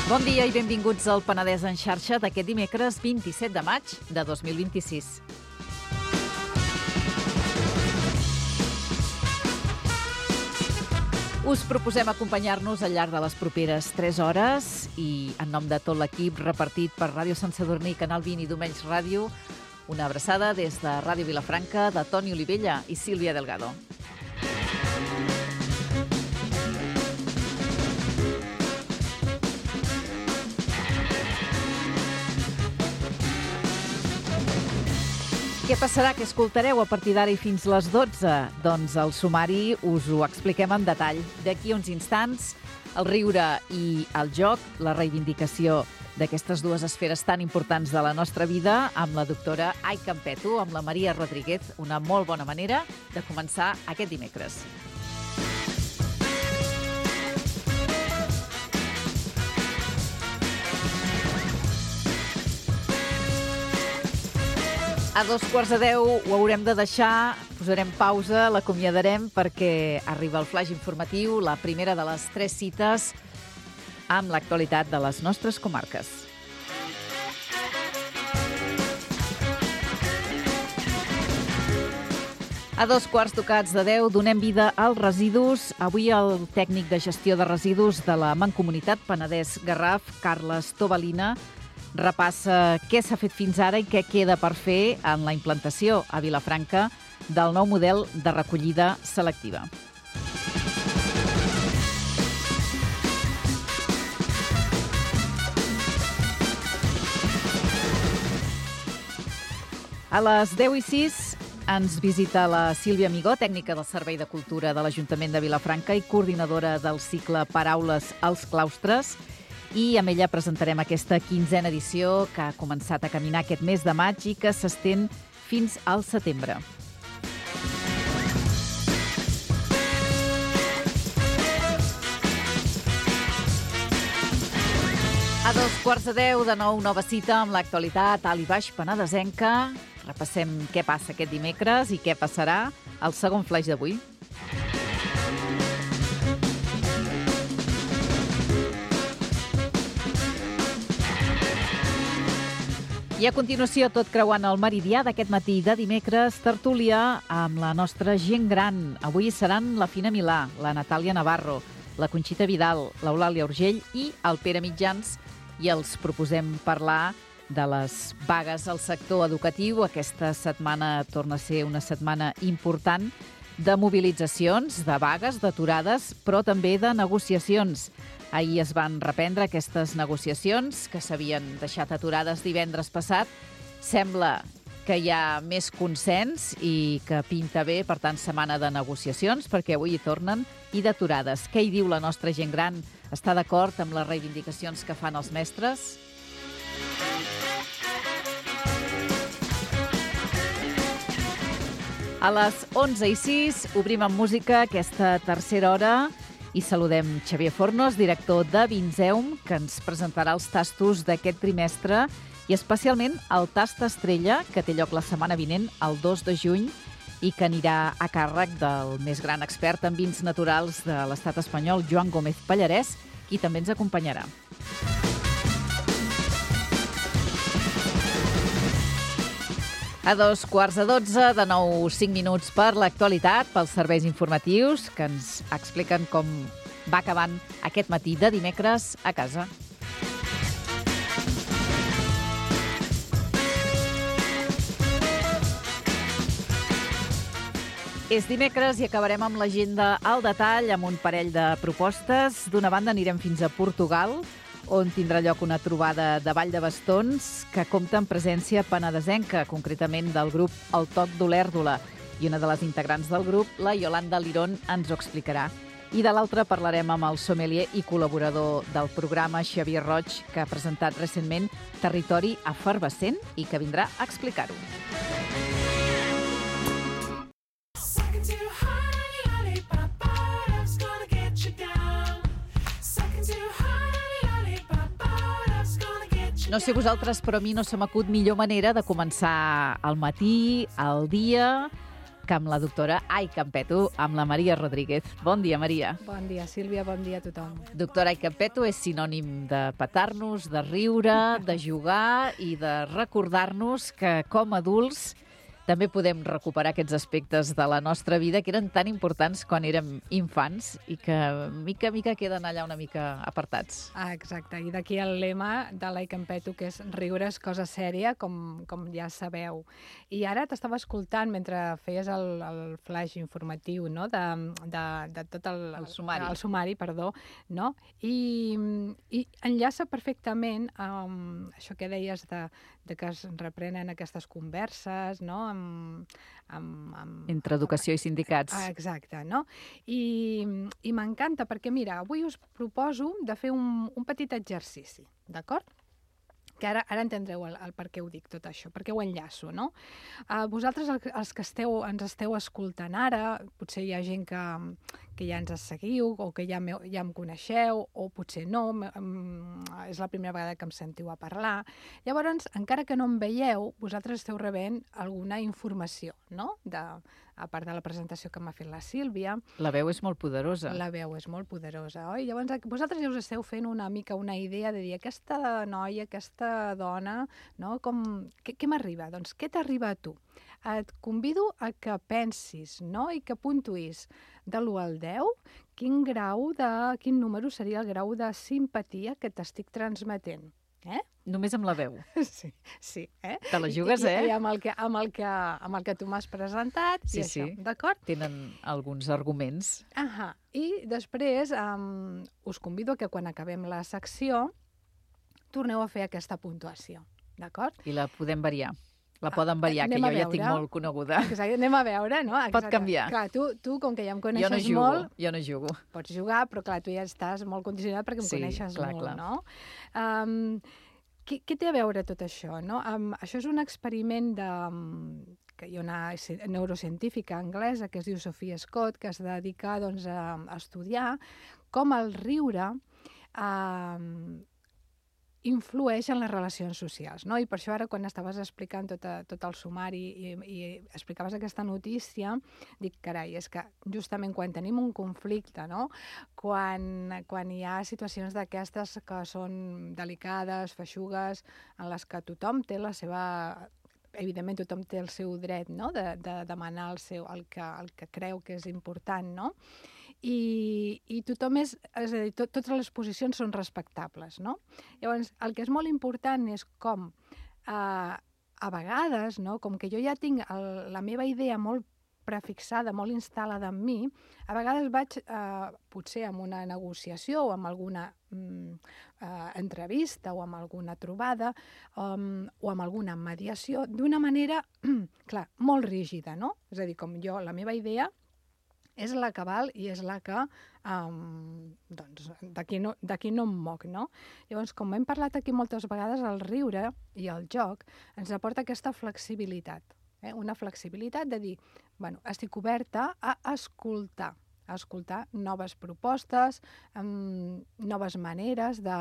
Bon dia i benvinguts al Penedès en xarxa d'aquest dimecres 27 de maig de 2026. Us proposem acompanyar-nos al llarg de les properes 3 hores i, en nom de tot l'equip repartit per Ràdio Sant Sadurní, Canal 20 i Domenys Ràdio, una abraçada des de Ràdio Vilafranca de Toni Olivella i Sílvia Delgado. Què passarà? Què escoltareu a partir d'ara i fins les 12? Doncs el sumari us ho expliquem en detall. D'aquí uns instants, el riure i el joc, la reivindicació d'aquestes dues esferes tan importants de la nostra vida, amb la doctora Ai Campeto, amb la Maria Rodríguez, una molt bona manera de començar aquest dimecres. A 9:45 ho haurem de deixar, posarem pausa, l'acomiadarem perquè arriba el flaix informatiu, la primera de les 3 cites amb l'actualitat de les nostres comarques. A 9:15 donem vida als residus. Avui el tècnic de gestió de residus de la Mancomunitat Penedès-Garraf, Carles Tobalina, repassa què s'ha fet fins ara i què queda per fer en la implantació a Vilafranca del nou model de recollida selectiva. A les 10:06 ens visita la Sílvia Amigó, tècnica del Servei de Cultura de l'Ajuntament de Vilafranca i coordinadora del cicle Paraules als claustres. I amb ella presentarem aquesta 15a edició que ha començat a caminar aquest mes de maig i que s'estén fins al setembre. A 9:15 de nou nova cita amb l'actualitat alt i baix penedesenca. Repassem què passa aquest dimecres i què passarà al segon flaix d'avui. I a continuació, tot creuant el meridià d'aquest matí de dimecres, tertúlia amb la nostra gent gran. Avui seran la Fina Milà, la Natàlia Navarro, la Conxita Vidal, l'Eulàlia Urgell i el Pere Mitjans, i els proposem parlar de les vagues al sector educatiu. Aquesta setmana torna a ser una setmana important de mobilitzacions, de vagues, d'aturades, però també de negociacions. Ahir es van reprendre aquestes negociacions que s'havien deixat aturades divendres passat. Sembla que hi ha més consens i que pinta bé, per tant, setmana de negociacions, perquè avui hi tornen, i d'aturades. Què hi diu la nostra gent gran? Està d'acord amb les reivindicacions que fan els mestres? A les 11:06 obrim amb música aquesta tercera hora i saludem Xavier Fornos, director de Vinzeum, que ens presentarà els tastos d'aquest trimestre i especialment el tast estrella, que té lloc la setmana vinent, el 2 de juny, i que anirà a càrrec del més gran expert en vins naturals de l'estat espanyol, Joan Gómez Pallarès, qui també ens acompanyarà. A 11:45, de nou 5 minuts per l'actualitat, pels serveis informatius, que ens expliquen com va acabant aquest matí de dimecres a casa. És dimecres i acabarem amb l'agenda al detall, amb un parell de propostes. D'una banda anirem fins a Portugal, on tindrà lloc una trobada de ball de bastons que compta amb presència penedesenca, concretament del grup El Toc d'Olèrdola. I una de les integrants del grup, la Yolanda Lirón, ens ho explicarà. I de l'altra parlarem amb el sommelier i col·laborador del programa, Xavier Roig, que ha presentat recentment Territori Efervescent i que vindrà a explicar-ho. No sé vosaltres, però a mi no se m'acut millor manera de començar el matí, el dia, que amb la doctora Ai-Campeto, amb la Maria Rodríguez. Bon dia, Maria. Bon dia, Sílvia, bon dia a tothom. Doctora Ai-Campeto és sinònim de petar-nos, de riure, de jugar i de recordar-nos que com a adults també podem recuperar aquests aspectes de la nostra vida que eren tan importants quan érem infants i que mica a mica queden allà una mica apartats. Exacte, i d'aquí el lema de l'Ai-Campeto, que és riure és cosa sèria, com ja sabeu. I ara t'estava escoltant mentre feies el flash informatiu, no?, de tot el sumari. El sumari, perdó, no? I enllaça perfectament amb això que deies de que es reprenen aquestes converses, no?, entre educació i sindicats. Exacte, no? I m'encanta perquè, mira, avui us proposo de fer un petit exercici, d'acord? Que ara entendreu el per què ho dic tot això, per què ho enllaço, no? Vosaltres, els que ens esteu escoltant ara, potser hi ha gent que ja ens seguiu o que ja em coneixeu, o potser no, és la primera vegada que em sentiu a parlar. Llavors, encara que no em veieu, vosaltres esteu rebent alguna informació, no?, a part de la presentació que m'ha fet la Sílvia. La veu és molt poderosa. La veu és molt poderosa, oi? Llavors, vosaltres ja us esteu fent una mica una idea de dir, aquesta noia, aquesta dona, no? Què m'arriba? Doncs què t'arriba a tu? Et convido a que pensis, no?, i que puntuïs de l'1 al 10 quin número seria el grau de simpatia que t'estic transmetent. Només amb la veu. Sí. Te la jugues, I amb el que tu m'has presentat, i això, d'acord? Tenen alguns arguments. I després us convido a que quan acabem la secció torneu a fer aquesta puntuació, d'acord? I la podem variar. La poden variar, que jo ja tinc molt coneguda. Exacte, anem a veure, no? Pot canviar. Clar, tu, com que ja em coneixes molt... Jo no jugo. Pots jugar, però clar, tu ja estàs molt condicionat perquè em coneixes molt, no? Què té a veure tot això, no? Això és un experiment que hi ha una neurocientífica anglesa que es diu Sophia Scott, que es dedica doncs, a estudiar com el riure influeix en les relacions socials, no? I per això ara, quan estaves explicant tot el sumari i explicaves aquesta notícia, dic, carai, és que justament quan tenim un conflicte, no?, quan hi ha situacions d'aquestes que són delicades, feixugues, en les que tothom té la seva... Evidentment, tothom té el seu dret, no?, de demanar el que creu que és important, no? I tothom és a dir, totes les posicions són respectables, no? Llavors, el que és molt important és com a vegades, no?, com que jo ja tinc la meva idea molt prefixada, molt instal·lada en mi, a vegades vaig, potser amb una negociació o amb alguna entrevista o amb alguna trobada o amb alguna mediació, d'una manera, clar, molt rígida, no? És a dir, com jo, la meva idea és la que val i és la que, doncs, d'aquí no em moc, no? Llavors, com hem parlat aquí moltes vegades, el riure i el joc ens aporta aquesta flexibilitat, una flexibilitat de dir, bueno, estic oberta a escoltar noves propostes, noves maneres de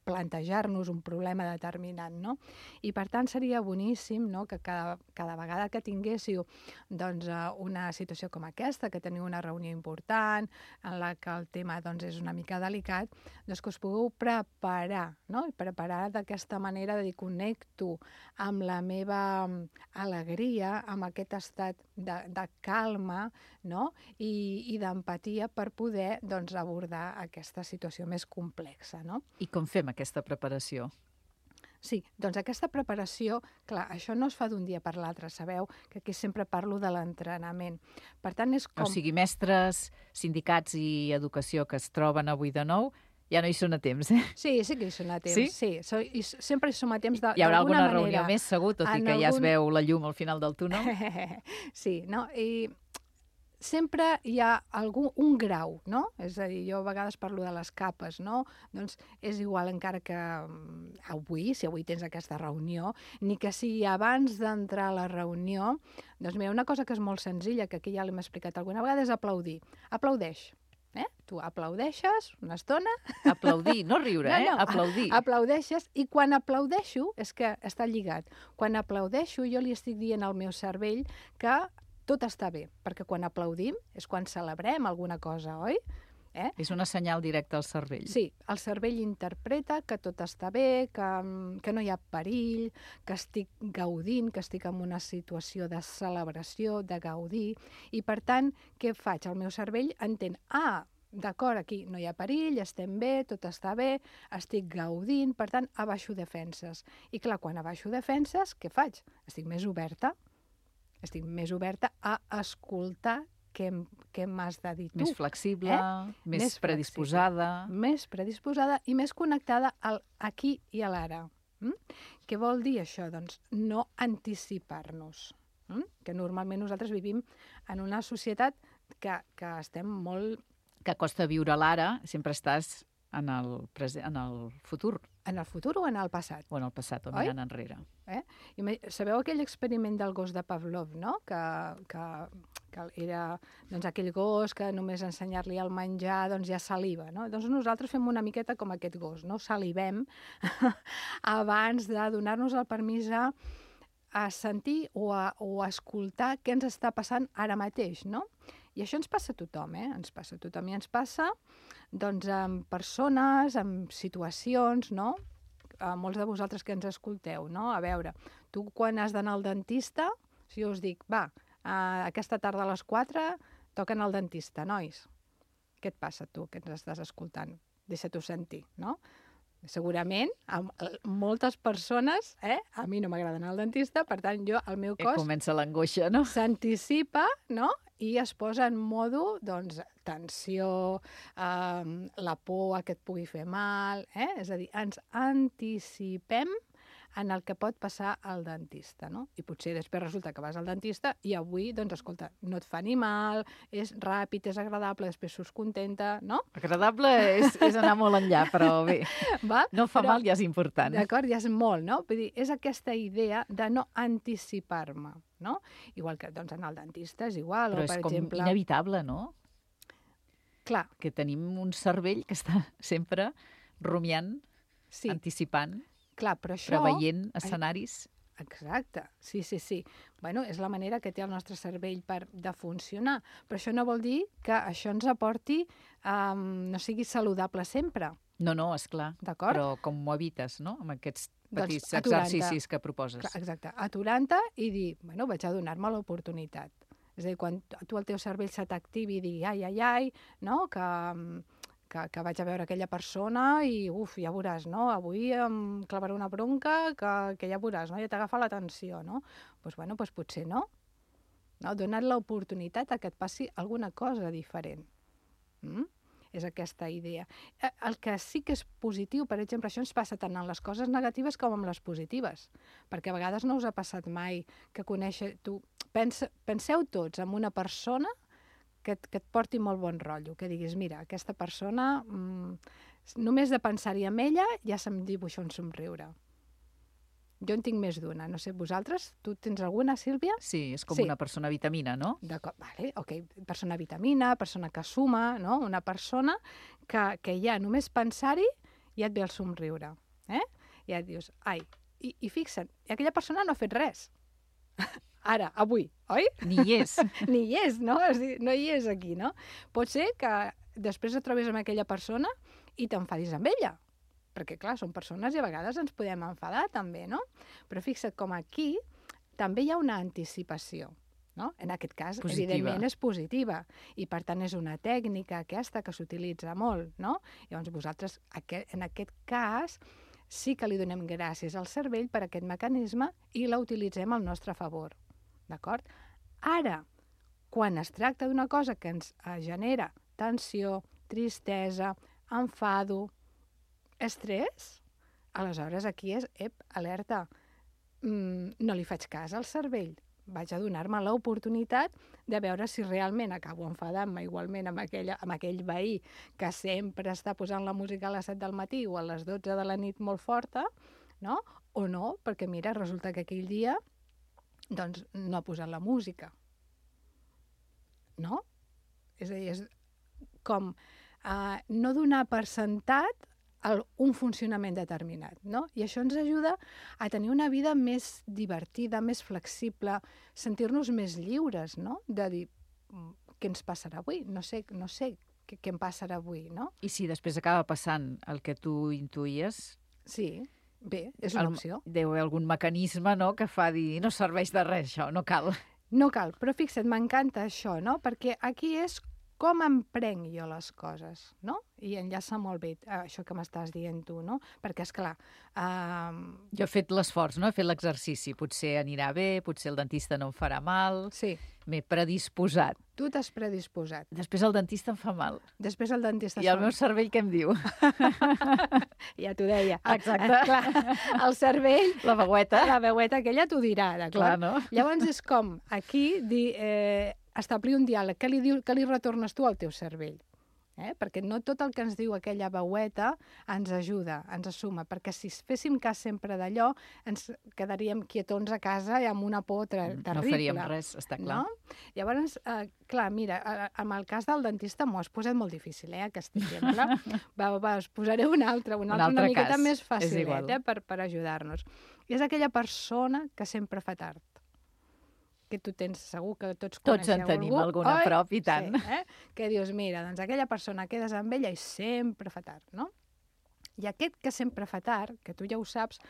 plantejar-nos un problema determinat, no? I per tant seria boníssim, no?, que cada vegada que tinguéssiu doncs, una situació com aquesta, que teniu una reunió important, en la que el tema doncs, és una mica delicat, doncs que us pugueu preparar, no?, i preparar d'aquesta manera de dir, connecto amb la meva alegria, amb aquest estat de calma, no?, i d'empatia per poder doncs, abordar aquesta situació més complexa, no? I com fem aquesta preparació? Sí, doncs aquesta preparació, clar, això no es fa d'un dia per l'altre, sabeu que aquí sempre parlo de l'entrenament. Per tant, és com... O sigui, mestres, sindicats i educació que es troben avui de nou, ja no hi són a temps, Sí que hi són a temps, sí. Sempre hi som a temps d'alguna manera. Hi haurà alguna reunió més, segur, tot i que ja es veu la llum al final del túnel? Sí, no? I sempre hi ha un grau, no? És a dir, jo a vegades parlo de les capes, no? Doncs és igual encara que si avui tens aquesta reunió, ni que sigui abans d'entrar a la reunió, doncs mira, una cosa que és molt senzilla, que aquí ja l'hem explicat alguna vegada, és aplaudir. Aplaudeix. Tu aplaudeixes una estona. Aplaudir, no riure, aplaudir. Aplaudeixes, i quan aplaudeixo, és que està lligat, quan aplaudeixo jo li estic dient al meu cervell que tot està bé, perquè quan aplaudim és quan celebrem alguna cosa, oi? És una senyal directa al cervell. Sí, el cervell interpreta que tot està bé, que no hi ha perill, que estic gaudint, que estic en una situació de celebració, de gaudir, i per tant, què faig? El meu cervell entén, d'acord, aquí no hi ha perill, estem bé, tot està bé, estic gaudint, per tant, abaixo defenses. I clar, quan abaixo defenses, què faig? Estic més oberta a escoltar què m'has de dir tu. Més flexible, més predisposada. Més predisposada i més connectada al aquí i a l'ara. Què vol dir això? Doncs no anticipar-nos. Que normalment nosaltres vivim en una societat que estem molt... Que costa viure l'ara, sempre estàs en el futur. En el futur o en el passat? O en el passat, o mirant enrere. Sabeu aquell experiment del gos de Pavlov, no? Que era aquell gos que només ensenyar-li el menjar ja saliva, no? Doncs nosaltres fem una miqueta com aquest gos, no? Salivem abans de donar-nos el permís a sentir o a escoltar què ens està passant ara mateix, no? I això ens passa a tothom, ens passa a tothom. I ens passa, amb persones, amb situacions, no? A molts de vosaltres que ens escolteu, no? A veure, tu quan has d'anar al dentista, si us dic, aquesta tarda a les 4 toquen al dentista, nois. Què et passa, tu, que ens estàs escoltant? Deixa-t'ho sentir, no? Segurament, moltes persones, a mi no m'agrada anar al dentista, per tant, el meu cos... Comença l'angoixa, no? S'anticipa, no? I es posa en modo, tensió, la por que et pugui fer mal, És a dir, ens anticipem en el que pot passar al dentista, no? I potser després resulta que vas al dentista i avui, escolta, no et fa ni mal, és ràpid, és agradable, després surts contenta, no? Agradable és anar molt enllà, però bé, no fa mal, ja és important. D'acord, ja és molt, no? Vull dir, és aquesta idea de no anticipar-me, no? Igual que, anar al dentista és igual, però és com inevitable, no? Clar. Que tenim un cervell que està sempre rumiant, anticipant, clar, però això... preveient escenaris. Exacte, sí. Bueno, és la manera que té el nostre cervell de funcionar, però això no vol dir que això ens aporti, no sigui saludable sempre. No, esclar, però com ho evites, no?, amb aquests petits exercicis que proposes. Clar, exacte, aturant-te i dir, bueno, vaig a donar-me l'oportunitat. És a dir, quan tu el teu cervell se t'activi i digui, ai, no?, que vaig a veure aquella persona i, ja veuràs, no? Avui em clavaré una bronca que ja veuràs, no? Ja t'agafa l'atenció, no? Doncs potser no. Donar l'oportunitat que et passi alguna cosa diferent. És aquesta idea. El que sí que és positiu, per exemple, això ens passa tant en les coses negatives com en les positives, perquè a vegades no us ha passat mai que penseu tots en una persona que et porti molt bon rotllo, que diguis, mira, aquesta persona, només de pensar-hi en ella ja se'm dibuixa un somriure. Jo en tinc més d'una, no sé, vosaltres, tu tens alguna, Sílvia? Sí, és com una persona vitamina, no? D'acord, vale, ok, persona vitamina, persona que suma, no? Una persona que ja només pensar-hi ja et ve el somriure, Ja et dius, i fixa't, aquella persona no ha fet res. Ara, avui, oi? Ni hi és. Ni hi és, no? És dir, no hi és aquí, no? Pot ser que després et trobis amb aquella persona i t'enfadis amb ella. Perquè, clar, són persones i a vegades ens podem enfadar també, no? Però fixa't com aquí també hi ha una anticipació, no? En aquest cas, evidentment, és positiva. I, per tant, és una tècnica aquesta que s'utilitza molt, no? Llavors, vosaltres, en aquest cas, sí que li donem gràcies al cervell per aquest mecanisme i la utilitzem al nostre favor. D'acord? Ara, quan es tracta d'una cosa que ens genera tensió, tristesa, enfado, estrès, aleshores aquí és, alerta, no li faig cas al cervell. Vaig a donar-me l'oportunitat de veure si realment acabo enfadant-me igualment amb aquell veí que sempre està posant la música a les 7 del matí o a les 12 de la nit molt forta, no? O no, perquè mira, resulta que aquell dia no ha posat la música. No? És a dir, com no donar per sentat un funcionament determinat, no? I això ens ajuda a tenir una vida més divertida, més flexible, sentir-nos més lliures, no? De dir, què ens passarà avui? No sé què em passarà avui, no? I si després acaba passant el que tu intuïes... Sí, bé, és una opció. Deu haver algun mecanisme, no?, que fa dir, no serveix de res, això, no cal. No cal, però fixa't, m'encanta això, no? Perquè aquí és com em prenc jo les coses, no? I enllaça molt bé això que m'estàs dient tu, no? Perquè, esclar... Jo he fet l'esforç, no? He fet l'exercici. Potser anirà bé, potser el dentista no em farà mal. Sí. M'he predisposat. Tu t'has predisposat. Després el dentista em fa mal. Després el dentista... I el meu cervell què em diu? Ja t'ho deia. Exacte. Clar, el cervell... La veueta. La veueta aquella t'ho dirà, d'acord? Clar, no? Llavors és com aquí dir... establir un diàleg. Què li retornes tu al teu cervell? Perquè no tot el que ens diu aquella veueta ens ajuda, ens assuma, perquè si féssim cas sempre d'allò, ens quedaríem quietons a casa i amb una por terrible. No faríem res, està clar. No? Llavors, clar, mira, amb el cas del dentista m'ho has posat molt difícil, aquest exemple. Us posaré un altre una miqueta més facilet, per ajudar-nos. I és aquella persona que sempre fa tard. Que tu tens segur que tots coneixeu en tenim alguna a prop, i tant. Sí, que dius, mira, doncs aquella persona quedes amb ella i sempre fa tard, no? I aquest que sempre fa tard, que tu ja ho saps,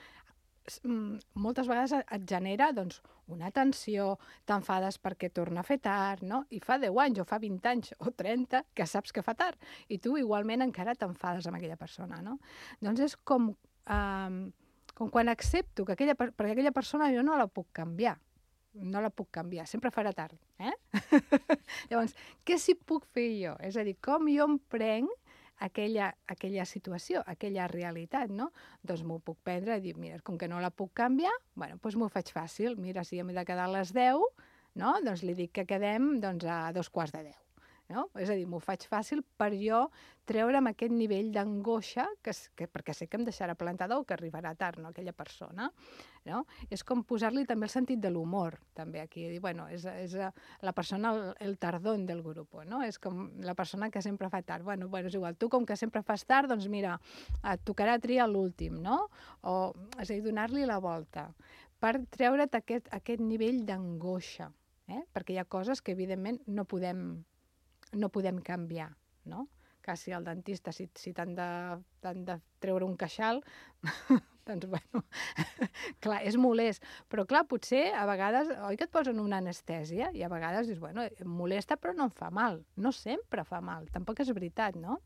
moltes vegades et genera doncs, una tensió, t'enfades perquè torna a fer tard, no? I fa 10 anys o fa 20 anys o 30 que saps que fa tard i tu igualment encara t'enfades amb aquella persona, no? Doncs és com quan accepto que perquè aquella persona jo no la puc canviar. No la puc canviar, sempre farà tard. Llavors, què s'hi puc fer jo? És a dir, com jo em prenc aquella situació, aquella realitat, no? Doncs m'ho puc prendre i dir, mira, com que no la puc canviar, doncs m'ho faig fàcil. Mira, si hem de quedar a les 10, no? Doncs li dic que quedem a 2:15. No? És a dir, m'ho faig fàcil per jo treure'm aquest nivell d'angoixa perquè sé que em deixarà plantada o que arribarà tard, no? Aquella persona. No? És com posar-li també el sentit de l'humor, també aquí. Dir, és la persona, el tardón del grup, no? És com la persona que sempre fa tard. És igual, tu com que sempre fas tard, doncs mira, et tocarà triar l'últim, no? És a dir, donar-li la volta per treure't aquest nivell d'angoixa, perquè hi ha coses que evidentment no podem canviar, no? Que si el dentista, si t'han de treure un queixal, doncs, clar, és molest. Però, clar, potser a vegades, oi que et posen una anestèsia i a vegades dius, em molesta però no em fa mal. No sempre fa mal, tampoc és veritat, no?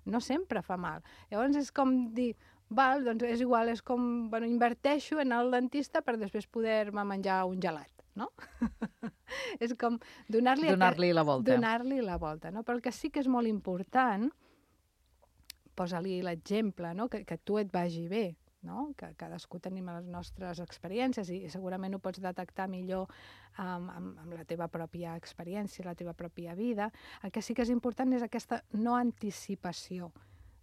No sempre fa mal. Llavors és com dir, doncs és igual, és com, inverteixo en el dentista per després poder-me menjar un gelat, no? És com donar-li la volta. Donar-li la volta, no? Però el que sí que és molt important, posa-li l'exemple, no? Que tu et vagi bé, no? Que cadascú tenim les nostres experiències i segurament ho pots detectar millor amb la teva pròpia experiència, la teva pròpia vida. El que sí que és important és aquesta no anticipació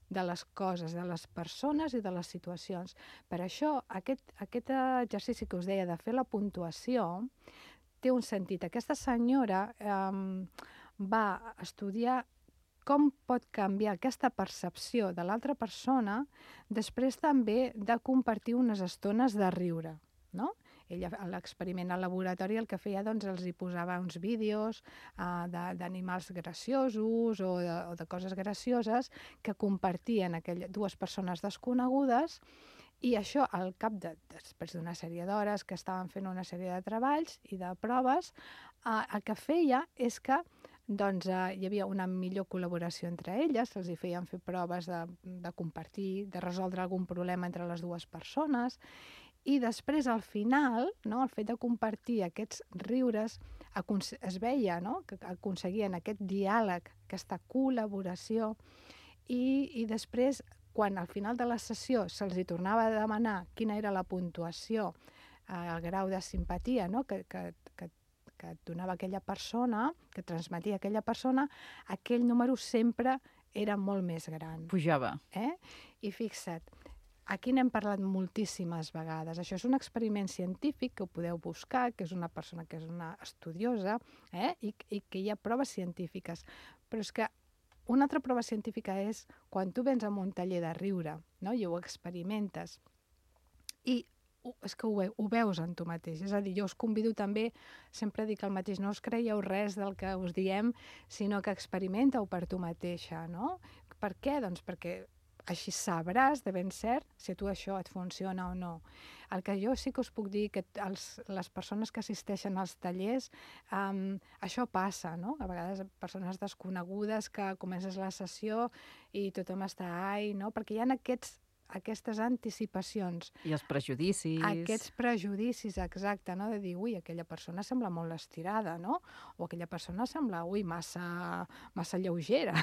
de les coses, de les persones i de les situacions. Per això, aquest exercici que us deia de fer la puntuació té un sentit. Aquesta senyora va estudiar com pot canviar aquesta percepció de l'altra persona després també de compartir unes estones de riure, no? Ella, a l'experiment al laboratori, el que feia, doncs, els hi posava uns vídeos d'animals graciosos o de coses gracioses que compartien dues persones desconegudes i això, al cap després d'una sèrie d'hores que estaven fent una sèrie de treballs i de proves, el que feia és que hi havia una millor col·laboració entre elles, se'ls hi feien fer proves de compartir, de resoldre algun problema entre les dues persones. I després, al final, no, el fet de compartir aquests riures, es veia, no, que aconseguien aquest diàleg, aquesta col·laboració, i després, quan al final de la sessió se'ls hi tornava a demanar quina era la puntuació, el grau de simpatia, no, que et donava aquella persona, que transmetia aquella persona, aquell número sempre era molt més gran. Pujava. I fixa't, aquí n'hem parlat moltíssimes vegades. Això és un experiment científic que ho podeu buscar, que és una persona que és una estudiosa i que hi ha proves científiques. Però és que una altra prova científica és quan tu vens a un taller de riure, no? I ho experimentes, i és que ho veus en tu mateix. És a dir, jo us convido també, sempre dic el mateix, no us creieu res del que us diem, sinó que experimenteu per tu mateixa, no? Per què? Doncs perquè així sabràs de ben cert si a tu això et funciona o no. El que jo sí que us puc dir que les persones que assisteixen als tallers, això passa, no? A vegades persones desconegudes que comences la sessió i tothom està no? Perquè hi ha aquestes anticipacions. I els prejudicis. Aquests prejudicis, exacte, no? De dir, ui, aquella persona sembla molt estirada, no? O aquella persona sembla, ui, massa lleugera.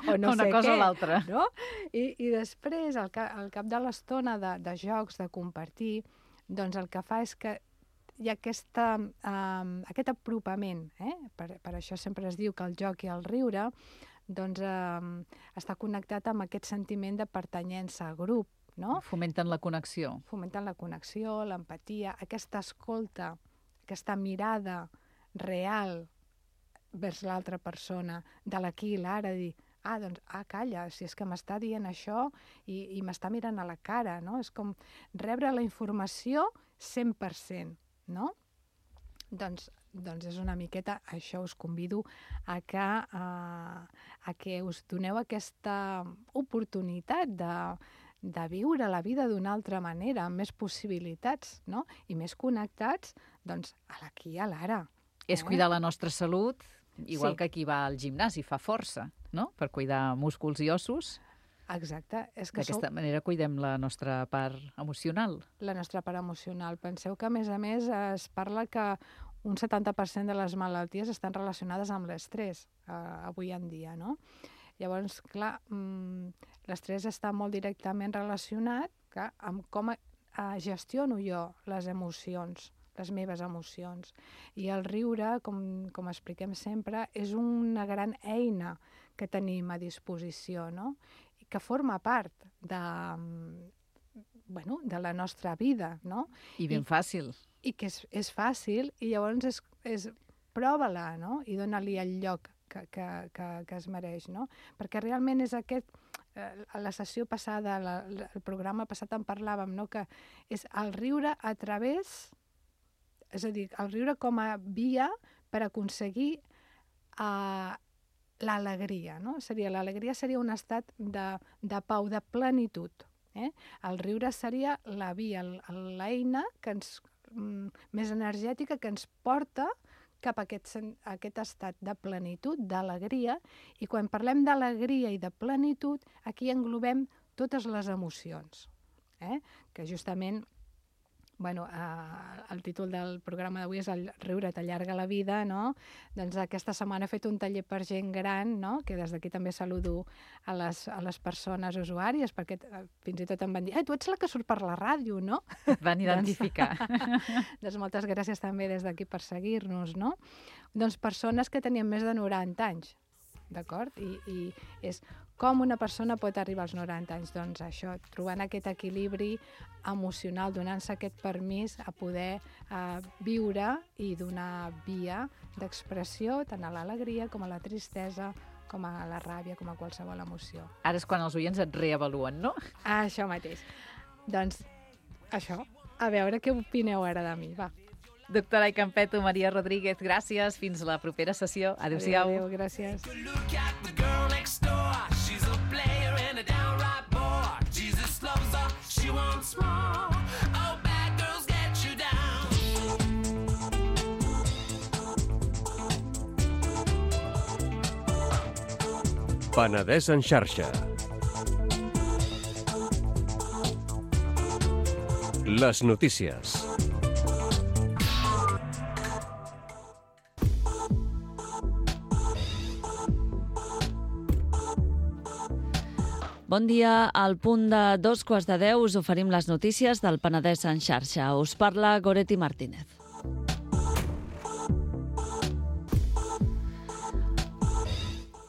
O no una sé cosa què, o l'altra. no? I després, al cap de l'estona de jocs, de compartir, doncs el que fa és que hi ha aquest apropament, per això sempre es diu que el joc i el riure doncs està connectat amb aquest sentiment de pertanyença a grup, no? Fomenten la connexió. Fomenten la connexió, l'empatia, aquesta escolta, aquesta mirada real vers l'altra persona, de l'aquí i l'ara, dir, calla, si és que m'està dient això i m'està mirant a la cara, no? És com rebre la informació 100%, no? Doncs és una miqueta, això us convido a que us doneu aquesta oportunitat de viure la vida d'una altra manera, amb més possibilitats, no? I més connectats, doncs, a l'aquí i a l'ara. És cuidar la nostra salut, igual Sí. que qui va al gimnàs i fa força, no? Per cuidar músculs i ossos. Exacte. És que D'aquesta manera cuidem la nostra part emocional. la nostra part emocional. Penseu que, a més, es parla que un 70% de les malalties estan relacionades amb l'estrès avui en dia, no? Llavors, clar, l'estrès està molt directament relacionat amb com gestiono jo les emocions, les meves emocions. I el riure, com expliquem sempre, és una gran eina que tenim a disposició, no? I que forma part de la nostra vida, no? I ben fàcil. I que és fàcil, i llavors prova-la, no? I dona-li el lloc que es mereix, no? Perquè realment és aquest, a la sessió passada, el programa passat en parlàvem, no? Que és el riure a través, és a dir, el riure com a via per aconseguir l'alegria, no? L'alegria seria un estat de pau, de plenitud. El riure seria la via, l'eina més energètica que ens porta cap a aquest estat de plenitud, d'alegria, i quan parlem d'alegria i de plenitud, aquí englobem totes les emocions, que justament, el títol del programa d'avui és El riure t'allarga la vida, no? Doncs aquesta setmana he fet un taller per gent gran, no? Que des d'aquí també saludo a les persones usuàries, perquè fins i tot em van dir, tu ets la que surt per la ràdio, no? Et van identificar. Doncs moltes gràcies també des d'aquí per seguir-nos, no? Doncs persones que tenien més de 90 anys, d'acord? I és com una persona pot arribar als 90 anys? Doncs això, trobant aquest equilibri emocional, donant-se aquest permís a poder viure i donar via d'expressió tant a l'alegria com a la tristesa, com a la ràbia, com a qualsevol emoció. Ara és quan els oients et reavaluen, no? Això mateix. Doncs això, a veure què opineu ara de mi, va. Doctora Campeto, Maria Rodríguez, gràcies. Fins la propera sessió. Adéu-siau. Adéu, gràcies. Penedès en xarxa. Les notícies. Bon dia. Al punt de 2:15 us oferim les notícies del Penedès en xarxa. Us parla Goretti Martínez.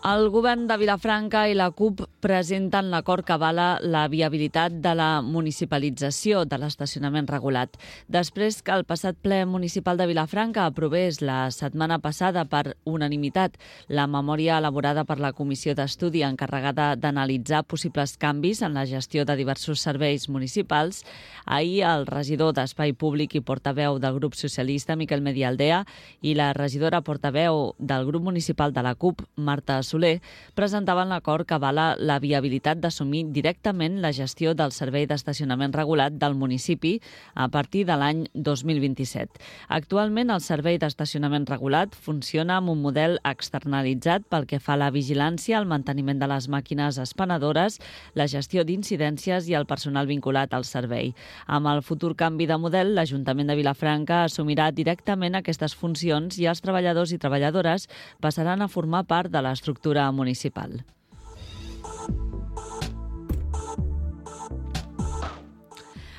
El govern de Vilafranca i la CUP presenten l'acord que avala la viabilitat de la municipalització de l'estacionament regulat. Després que el passat ple municipal de Vilafranca aprovés la setmana passada per unanimitat la memòria elaborada per la comissió d'estudi encarregada d'analitzar possibles canvis en la gestió de diversos serveis municipals, ahir el regidor d'Espai Públic i portaveu del grup socialista, Miquel Medialdea, i la regidora portaveu del grup municipal de la CUP, Marta Soler, presentaven l'acord que avala la viabilitat d'assumir directament la gestió del servei d'estacionament regulat del municipi a partir de l'any 2027. Actualment, el servei d'estacionament regulat funciona amb un model externalitzat pel que fa a la vigilància, el manteniment de les màquines expenedores, la gestió d'incidències i el personal vinculat al servei. Amb el futur canvi de model, l'Ajuntament de Vilafranca assumirà directament aquestes funcions i els treballadors i treballadores passaran a formar part de l'estructura municipal.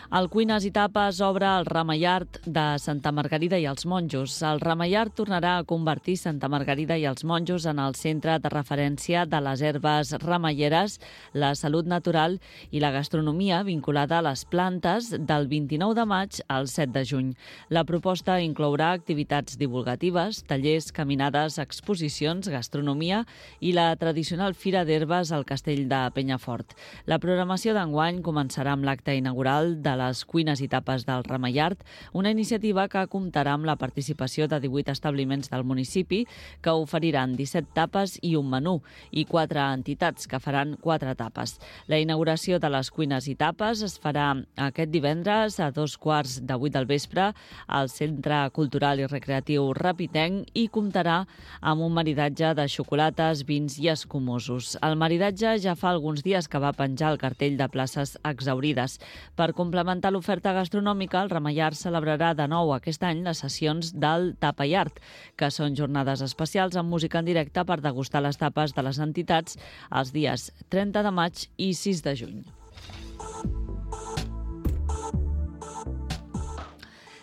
El Cuines i Tapes obre el Ramallard de Santa Margarida i els Monjos. El Ramallard tornarà a convertir Santa Margarida i els Monjos en el centre de referència de les herbes ramalleres, la salut natural i la gastronomia vinculada a les plantes del 29 de maig al 7 de juny. La proposta inclourà activitats divulgatives, tallers, caminades, exposicions, gastronomia i la tradicional Fira d'Herbes al Castell de Penyafort. La programació d'enguany començarà amb l'acte inaugural de les Cuines i Tapes del Ramallard, una iniciativa que comptarà amb la participació de 18 establiments del municipi que oferiran 17 tapes i un menú i 4 entitats que faran 4 tapes. La inauguració de les Cuines i Tapes es farà aquest divendres a 2:15 del vespre al Centre Cultural i Recreatiu Rapitenc i comptarà amb un maridatge de xocolates, vins i escumosos. El maridatge ja fa alguns dies que va penjar el cartell de places exaurides. Per complementar l'oferta gastronòmica, el Ramallard celebrarà de nou aquest any les sessions del Tapa i Art, que són jornades especials amb música en directe per degustar les tapes de les entitats els dies 30 de maig i 6 de juny.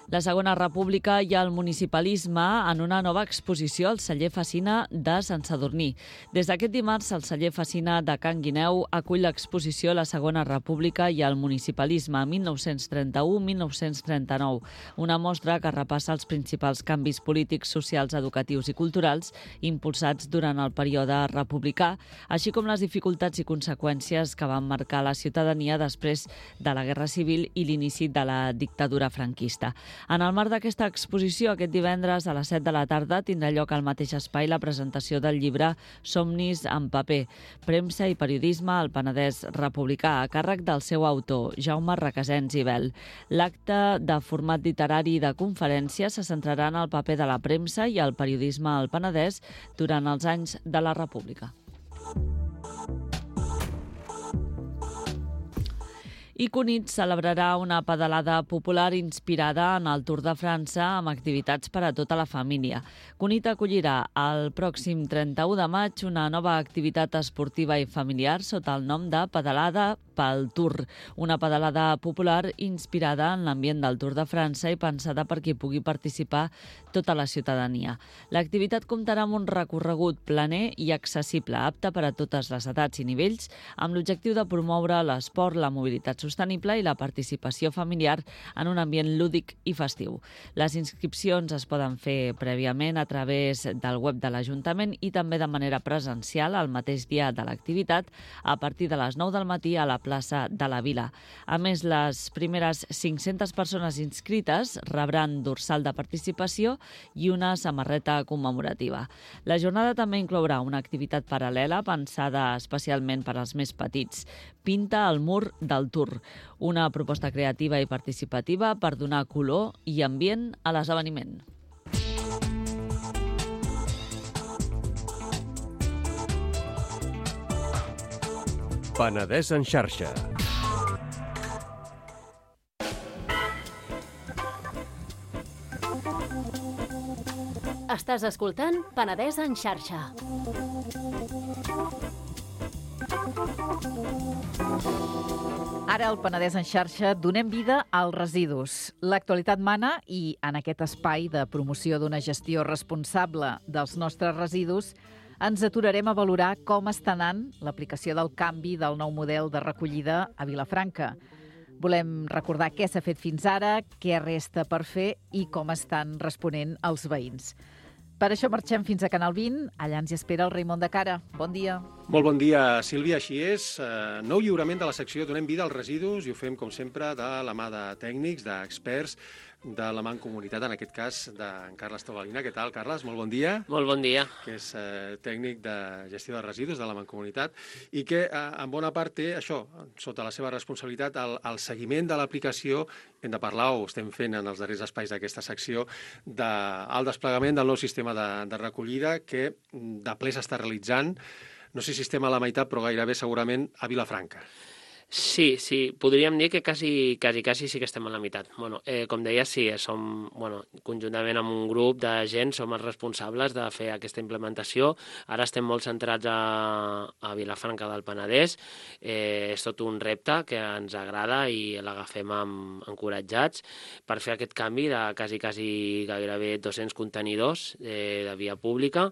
La Segona República i el municipalisme en una nova exposició al celler Fecina de Sant Sadurní. Des d'aquest dimarts, el celler Fecina de Can Guineu acull l'exposició La Segona República i el municipalisme 1931-1939, una mostra que repassa els principals canvis polítics, socials, educatius i culturals impulsats durant el període republicà, així com les dificultats i conseqüències que van marcar la ciutadania després de la Guerra Civil i l'inici de la dictadura franquista. En el marc d'aquesta exposició, aquest divendres a les 7 de la tarda tindrà lloc al mateix espai la presentació del llibre Somnis en paper, premsa i periodisme al Penedès republicà, a càrrec del seu autor, Jaume Requesens i Bel. L'acte de format literari i de conferència se centrarà en el paper de la premsa i el periodisme al Penedès durant els anys de la República. I Cunit celebrarà una pedalada popular inspirada en el Tour de França amb activitats per a tota la família. Cunit acollirà el pròxim 31 de maig una nova activitat esportiva i familiar sota el nom de Pedalada pel Tour, una pedalada popular inspirada en l'ambient del Tour de França i pensada per qui pugui participar tota la ciutadania. L'activitat comptarà amb un recorregut planer i accessible, apte per a totes les edats i nivells, amb l'objectiu de promoure l'esport, la mobilitat sostenible i la participació familiar en un ambient lúdic i festiu. Les inscripcions es poden fer prèviament a través del web de l'Ajuntament i també de manera presencial el mateix dia de l'activitat a partir de les 9 del matí a la plaça de la Vila. A més, les primeres 500 persones inscrites rebran dorsal de participació i una samarreta commemorativa. La jornada també inclourà una activitat paral·lela pensada especialment per als més petits. Pinta el mur del Tour, una proposta creativa i participativa per donar color i ambient a l'esdeveniment. Penedès en xarxa. Estàs escoltant Penedès en xarxa. Ara al Penedès en xarxa donem vida als residus. L'actualitat mana i en aquest espai de promoció d'una gestió responsable dels nostres residus ens aturarem a valorar com està anant l'aplicació del canvi del nou model de recollida a Vilafranca. Volem recordar què s'ha fet fins ara, què resta per fer i com estan responent els veïns. Per això marxem fins a Canal 20. Allà ens hi espera el Raimon de Cara. Bon dia. Molt bon dia, Sílvia. Així és. Nou lliurament de la secció Donem vida als residus i ho fem, com sempre, de la mà de tècnics, d'experts, de la Mancomunitat, en aquest cas, d'en Carles Tobalina. Què tal, Carles? Molt bon dia. Molt bon dia. Que és tècnic de gestió de residus de la Mancomunitat i que, en bona part, té això, sota la seva responsabilitat, el seguiment de l'aplicació. Hem de parlar, o estem fent en els darrers espais d'aquesta secció, del desplegament del nou sistema de recollida que de ple s'està realitzant. No sé si estem a la meitat, però gairebé segurament a Vilafranca. Sí, podríem dir que quasi sí que estem a la meitat. Com deia, sí, som, conjuntament amb un grup de gent, som els responsables de fer aquesta implementació. Ara estem molt centrats a Vilafranca del Penedès. És tot un repte que ens agrada i l'agafem encoratjats per fer aquest canvi de quasi gairebé 200 contenidors de via pública.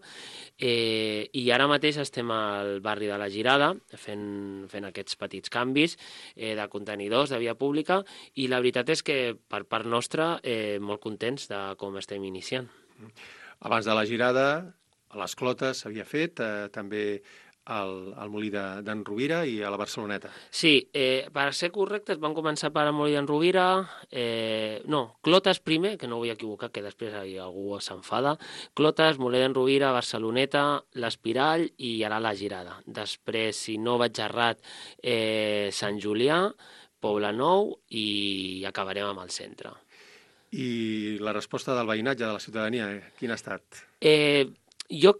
I ara mateix estem al barri de la Girada fent aquests petits canvis de contenidors de via pública i la veritat és que per part nostra molt contents de com estem iniciant. Abans de la Girada, a les Clotes s'havia fet, també al Molí d'en Rovira i a la Barceloneta. Sí, per ser correctes van començar per al Molí d'en Rovira, Clotes primer, que no vull equivocar, que després algú s'enfada, Clotes, Molí d'en Rovira, Barceloneta, l'Espirall i ara la Girada. Després, si no vaig errat, Sant Julià, Poblenou i acabarem amb el centre. I la resposta del veïnatge, de la ciutadania, quina ha estat? Jo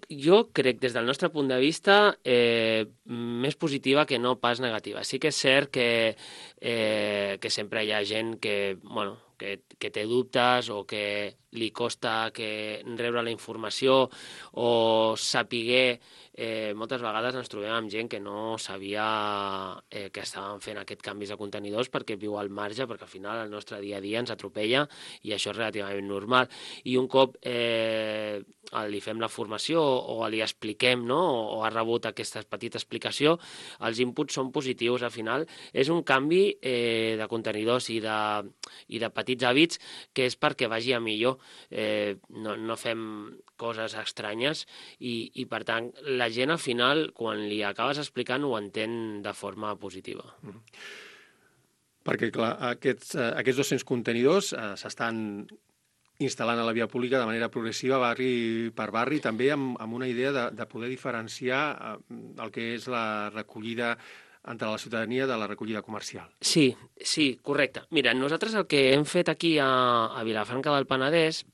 crec, des del nostre punt de vista, més positiva que no pas negativa. Sí que és cert que sempre hi ha gent que té dubtes o que li costa rebre la informació o saber. Moltes vegades ens trobem amb gent que no sabia que estàvem fent aquests canvis de contenidors perquè viu al marge, perquè al final el nostre dia a dia ens atropella i això és relativament normal. I un cop li fem la formació o li expliquem, o ha rebut aquesta petita explicació, els inputs són positius. Al final és un canvi de contenidors i de petits hàbits que és perquè vagi a millor. No fem coses estranyes i per tant la gent al final quan li acabes explicant ho entén de forma positiva. Perquè clar, aquests 200 contenidors s'estan instal·lant a la via pública de manera progressiva, barri per barri, també amb una idea de poder diferenciar el que és la recollida entre la ciutadania de la recollida comercial. Sí, correcte. Mira, nosaltres el que hem fet aquí a Vilafranca del Penedès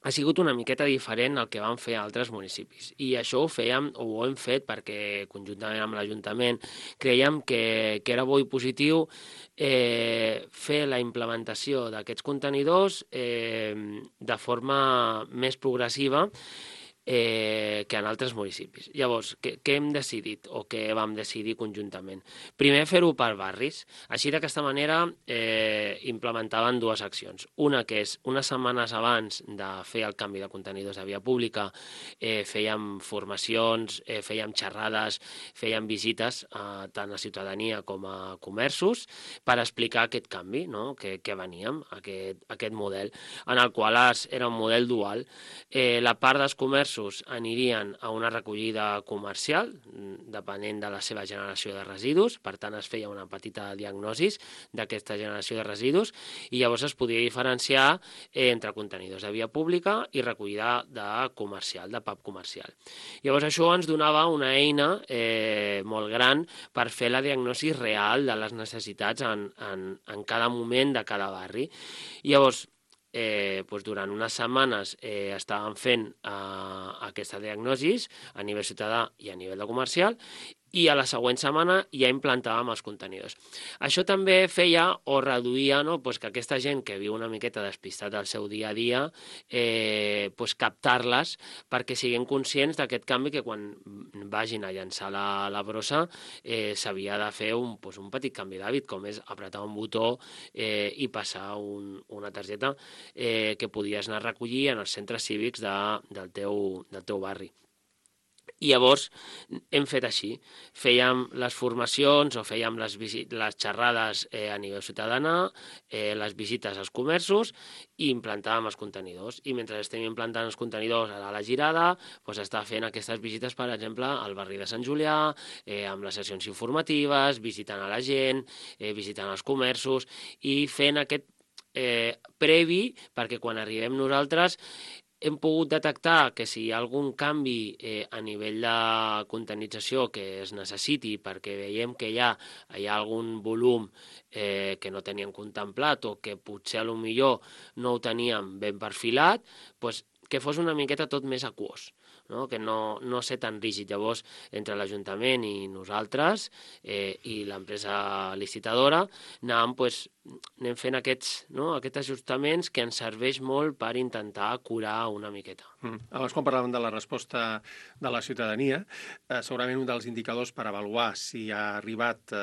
ha sigut una miqueta diferent al que van fer altres municipis. I això ho hem fet perquè, conjuntament amb l'Ajuntament, creiem que era bo i positiu fer la implementació d'aquests contenidors de forma més progressiva que en altres municipis. Llavors, què hem decidit o què vam decidir conjuntament? Primer, fer-ho per barris. Així, d'aquesta manera, implementaven dues accions. Una, que és, unes setmanes abans de fer el canvi de contenidors de via pública, fèiem formacions, fèiem xerrades, fèiem visites tant a ciutadania com a comerços per explicar aquest canvi, que veníem, aquest model, en el qual era un model dual. La part dels comerços anirien a una recollida comercial, depenent de la seva generació de residus, per tant es feia una petita diagnosi d'aquesta generació de residus i llavors es podia diferenciar entre contenidors de via pública i recollida de pub comercial. Llavors això ens donava una eina molt gran per fer la diagnosi real de les necessitats en cada moment de cada barri. Llavors, durant unes setmanes estàvem fent aquesta diagnosi a nivell ciutadà i a nivell de comercial i a la següent setmana ja implantàvem els contenidors. Això també feia o reduïa que aquesta gent que viu una miqueta despistat del seu dia a dia, captar-les perquè siguin conscients d'aquest canvi que quan vagin a llançar la brossa s'havia de fer un petit canvi d'hàbit, com és apretar un botó i passar una targeta que podies anar a recollir en els centres cívics del teu barri. I llavors hem fet així. Fèiem les formacions o fèiem les xerrades a nivell ciutadà, les visites als comerços i implantàvem els contenidors. I mentre estem implantant els contenidors a la Girada, doncs està fent aquestes visites, per exemple, al barri de Sant Julià, amb les sessions informatives, visitant a la gent, visitant els comerços i fent aquest previ perquè quan arribem nosaltres hem pogut detectar que si hi ha algun canvi a nivell de contenització que es necessiti perquè veiem que hi ha algun volum que no teníem contemplat o que potser a lo millor no ho teníem ben perfilat, doncs que fos una miqueta tot més aquós, no? Que no ser tan rígid. Llavors, entre l'Ajuntament i nosaltres i l'empresa licitadora anem fent aquests ajustaments que ens serveix molt per intentar curar una miqueta. Abans, quan parlàvem de la resposta de la ciutadania, segurament un dels indicadors per avaluar si ha arribat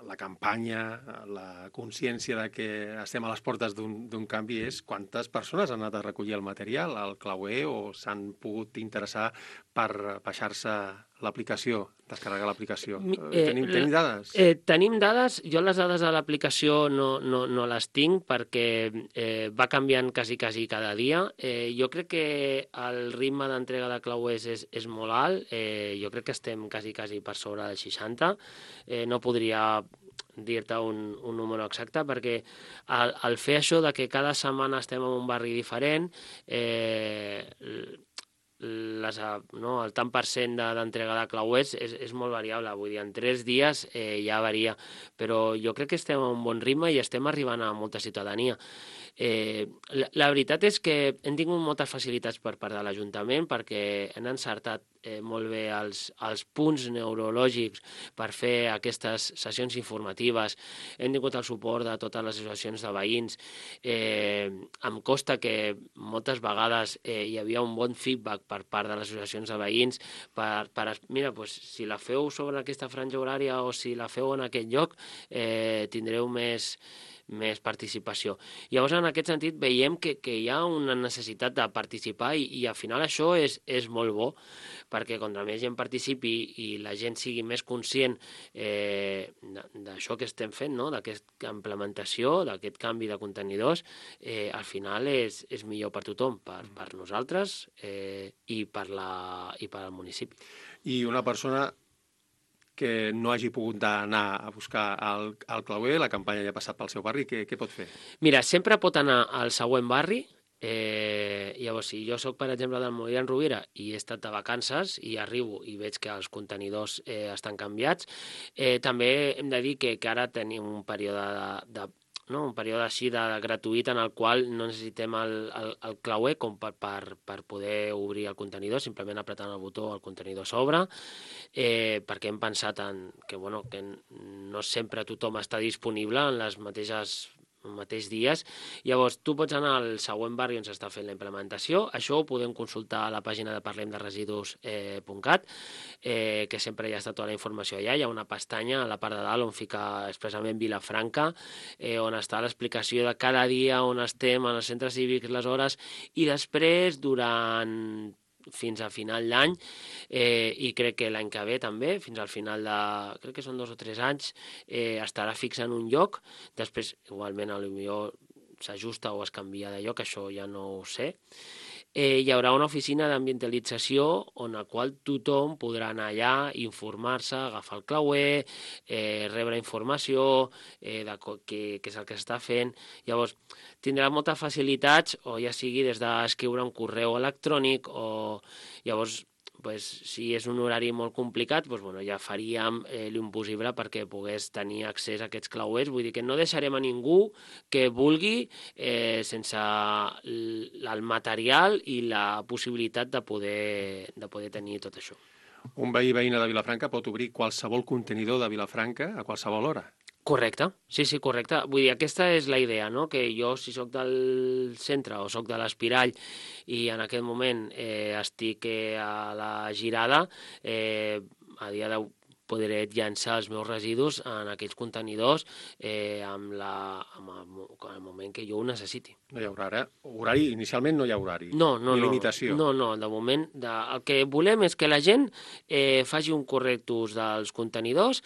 la campanya, la consciència de que estem a les portes d'un canvi és quantes persones han anat a recollir el material al clauer o s'han pogut interessar per baixar-se l'aplicació, descarregar l'aplicació. Tenim dades? Tenim dades. Jo les dades de l'aplicació no les tinc perquè va canviant quasi cada dia. Jo crec que el ritme d'entrega de clauers és molt alt. Jo crec que estem quasi per sobre del 60. No podria dir-te un número exacte perquè al fer això de que cada setmana estem en un barri diferent, el tant per cent d'entrega de clauers és molt variable, vull dir, en 3 dies ja varia, però jo crec que estem a un bon ritme i estem arribant a molta ciutadania. La veritat és que hem tingut moltes facilitats per part de l'Ajuntament perquè han encertat molt bé els punts neurològics per fer aquestes sessions informatives. Hem tingut el suport de totes les associacions de veïns. Em consta que moltes vegades hi havia un bon feedback per part de les associacions de veïns mira, si la feu sobre aquesta franja horària o si la feu en aquest lloc tindreu més participació. Llavors, en aquest sentit, veiem que hi ha una necessitat de participar i al final això és molt bo, perquè contra més gent participi i la gent sigui més conscient d'això que estem fent, no? D'aquesta implementació, d'aquest canvi de contenidors, al final és millor per tothom, per nosaltres i per al municipi. I una persona que no hagi pogut anar a buscar el clauer, la campanya ja ha passat pel seu barri, què pot fer? Mira, sempre pot anar al següent barri. Llavors, si jo soc, per exemple, del Molí d'en Rovira i he estat de vacances i arribo i veig que els contenidors estan canviats, també hem de dir que ara tenim un període un període així gratuït en el qual no necessitem el clauer com per poder obrir el contenidor, simplement apretant el botó el contenidor s'obre, perquè hem pensat que no sempre tothom està disponible en les mateix dies. Llavors, tu pots anar al següent barri on s'està fent la implementació. Això ho podem consultar a la pàgina de parlemderesidus.cat, que sempre hi ha estat tota la informació allà. Hi ha una pestanya a la part de dalt on fica expressament Vilafranca, on està l'explicació de cada dia on estem, en els centres cívics, les hores, i després, fins a final d'any, i crec que l'any que ve també, fins al final crec que són 2 o 3 anys, estarà fix en un lloc. Després, igualment, potser s'ajusta o es canvia de lloc, això ja no ho sé. Hi haurà una oficina d'ambientalització on la qual tothom podrà anar allà, informar-se, agafar el clauer, rebre informació de què és el que s'està fent. Llavors, tindrà moltes facilitats, o ja sigui des d'escriure un correu electrònic, o llavors, si és un horari molt complicat, ja faríem l'impossible perquè pogués tenir accés a aquests clauers. Vull dir que no deixarem a ningú que vulgui sense el material i la possibilitat de poder tenir tot això. Un veïna de Vilafranca pot obrir qualsevol contenidor de Vilafranca a qualsevol hora. Correcte, sí, correcte. Vull dir, aquesta és la idea, no? Que jo, si sóc del centre o sóc de l'Espirall i en aquest moment estic a la Girada, a dia podré llançar els meus residus en aquells contenidors en el moment que jo ho necessiti. No hi haurà horari, inicialment no hi ha horari. No, ni limitació. No, de moment el que volem és que la gent faci un correcte ús dels contenidors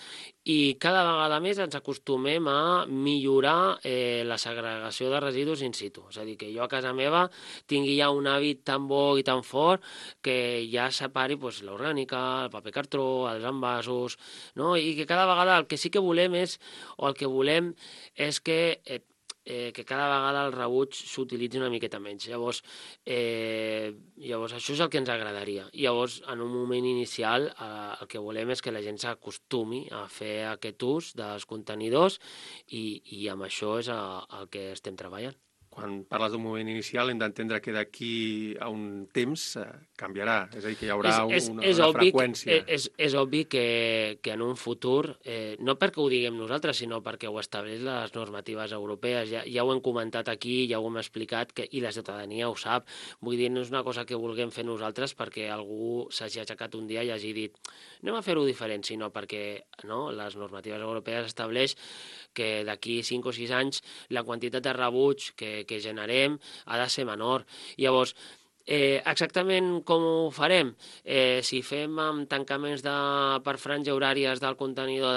i cada vegada més ens acostumem a millorar la segregació de residus in situ. És a dir, que jo a casa meva tingui ja un hàbit tan bo i tan fort que ja separi l'orgànica, el paper cartró, els envasos, no? I que cada vegada el que sí que volem és que cada vegada el rebuig s'utilitzi una miqueta menys. Llavors, això és el que ens agradaria. Llavors, en un moment inicial, el que volem és que la gent s'acostumi a fer aquest ús dels contenidors i amb això és el que estem treballant. Quan parles d'un moment inicial hem d'entendre que d'aquí a un temps canviarà, és a dir, que hi haurà una freqüència. És obvi que en un futur, no perquè ho diguem nosaltres, sinó perquè ho estableix les normatives europees, ja ho hem comentat aquí, ja ho hem explicat, i la ciutadania ho sap. Vull dir, no és una cosa que vulguem fer nosaltres perquè algú s'hagi aixecat un dia i hagi dit anem a fer-ho diferent, sinó perquè les normatives europees estableix que d'aquí 5 o 6 anys la quantitat de rebuig que generem ha de ser menor. Llavors, exactament com ho farem? Si fem amb tancaments per franja horàries del contenidor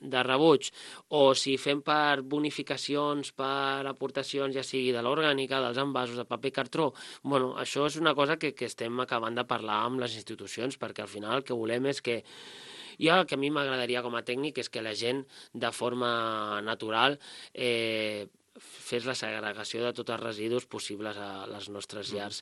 de rebuig o si fem per bonificacions, per aportacions, ja sigui de l'orgànica, dels envasos, de paper cartró, això és una cosa que estem acabant de parlar amb les institucions perquè al final el que volem és que el que a mi m'agradaria com a tècnic és que la gent de forma natural fes la segregació de tots els residus possibles a les nostres llars.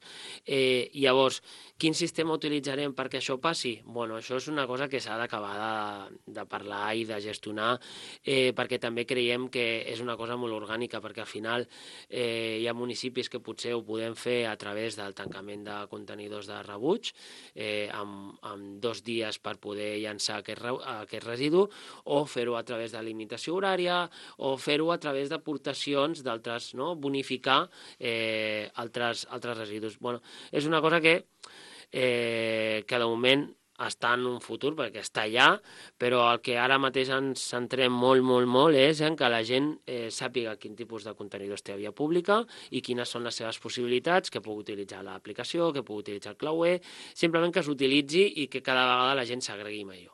Llavors, quin sistema utilitzarem perquè això passi? Això és una cosa que s'ha d'acabar de parlar i de gestionar perquè també creiem que és una cosa molt orgànica perquè al final hi ha municipis que potser ho podem fer a través del tancament de contenidors de rebuig amb 2 dies per poder llançar aquest residu o fer-ho a través de limitació horària o fer-ho a través d'aportacions d'altres, bonificar altres residus. És una cosa que de moment està en un futur, perquè està allà, però el que ara mateix ens centrem molt és en que la gent sàpiga quin tipus de contenidors té a via pública i quines són les seves possibilitats, que pugui utilitzar l'aplicació, que pugui utilitzar el clauer, simplement que s'utilitzi i que cada vegada la gent s'agregui millor.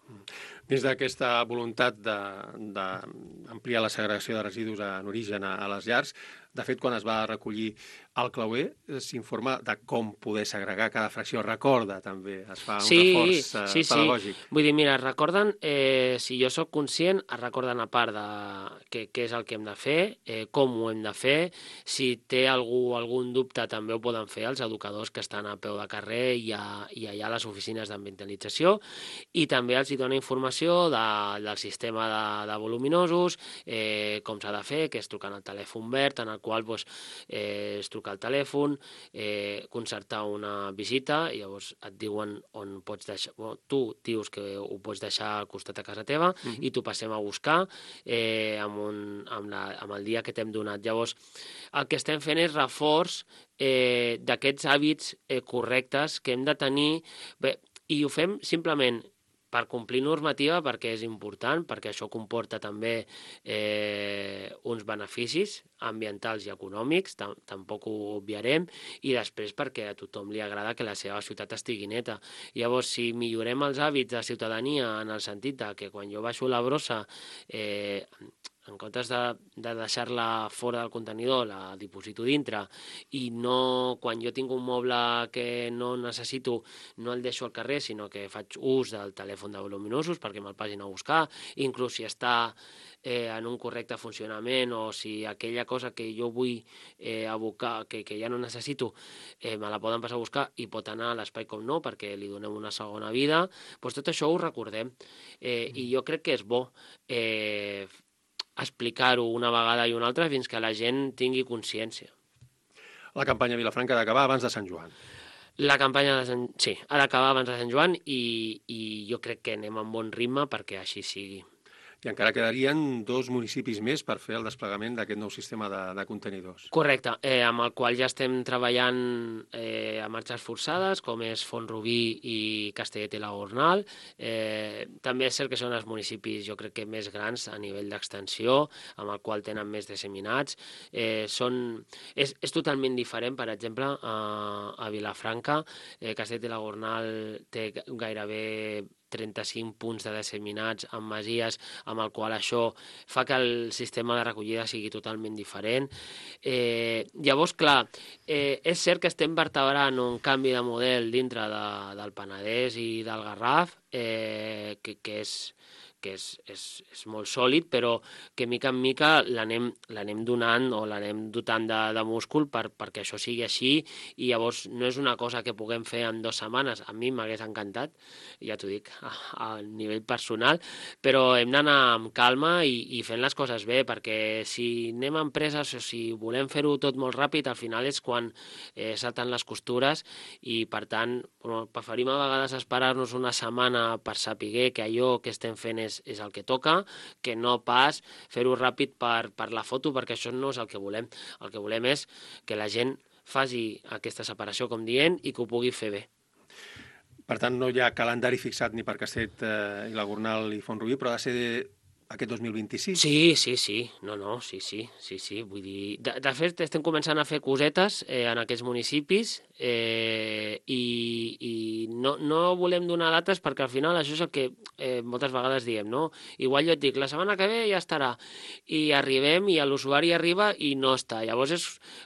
Dins d'aquesta voluntat d'ampliar la segregació de residus en origen a les llars, de fet, quan es va recollir el clauer, s'informa de com poder segregar cada fracció. Recorda, també, es fa un reforç pedagògic. Sí. Vull dir, mira, es recorden, si jo sóc conscient, es recorden a part de què és el que hem de fer, com ho hem de fer, si té algun dubte també ho poden fer els educadors que estan a peu de carrer i allà a les oficines d'ambientalització, i també els hi dona informació del sistema de voluminosos, com s'ha de fer, que és trucant al telèfon verd, en el qual es truca al telèfon, concertar una visita, i llavors et diuen on pots deixar, tu dius que ho pots deixar al costat de casa teva i t'ho passem a buscar amb el dia que t'hem donat. Llavors, el que estem fent és reforç d'aquests hàbits correctes que hem de tenir, i ho fem simplement per complir normativa, perquè és important, perquè això comporta també uns beneficis ambientals i econòmics, tampoc ho obviarem, i després perquè a tothom li agrada que la seva ciutat estigui neta. Llavors, si millorem els hàbits de ciutadania en el sentit que quan jo baixo la brossa, en comptes de deixar-la fora del contenidor, la diposito dintre, i no, quan jo tinc un moble que no necessito, no el deixo al carrer, sinó que faig ús del telèfon de voluminosos perquè me'l passin a buscar, inclús si està en un correcte funcionament o si aquella cosa que jo vull abocar, que ja no necessito, me la poden passar a buscar i pot anar a l'espai com no, perquè li donem una segona vida, doncs tot això ho recordem. I jo crec que és bo explicar-ho una vegada i una altra fins que la gent tingui consciència. La campanya Vilafranca ha d'acabar abans de Sant Joan. La campanya sí, ha d'acabar abans de Sant Joan i jo crec que anem amb bon ritme perquè així sigui. i encara quedarien 2 municipis més per fer el desplegament d'aquest nou sistema de contenidors. Correcte, amb el qual ja estem treballant a marxes forçades, com és Font-rubí i Castellet i la Gornal. També és cert que són els municipis, jo crec que més grans a nivell d'extensió, amb el qual tenen més disseminats. És totalment diferent, per exemple, a Vilafranca. Castellet i la Gornal té gairebé 35 punts de disseminats en masies, amb el qual això fa que el sistema de recollida sigui totalment diferent. Llavors, clar, és cert que estem vertebrant un canvi de model dintre del Penedès i del Garraf, que és molt sòlid, però que mica en mica l'anem donant o l'anem dotant de múscul perquè això sigui així, i llavors no és una cosa que puguem fer en 2 setmanes. A mi m'hagués encantat, ja t'ho dic, a nivell personal, però hem d'anar amb calma i fent les coses bé, perquè si anem a empreses o si volem fer-ho tot molt ràpid, al final és quan salten les costures, i per tant preferim a vegades esperar-nos una setmana per saber que allò que estem fent és el que toca, que no pas fer-ho ràpid per la foto, perquè això no és el que volem. El que volem és que la gent faci aquesta separació, com dient, i que ho pugui fer bé. Per tant, no hi ha calendari fixat ni per Castellet i la Gornal i Font-rubí, però ha de ser aquest 2026? Sí. Sí. Vull dir, de fet, estem començant a fer cosetes en aquests municipis, i no volem donar dates perquè al final això és el que moltes vegades diem, no? Igual jo et dic, la setmana que ve ja estarà, i arribem i l'usuari arriba i no està. Llavors és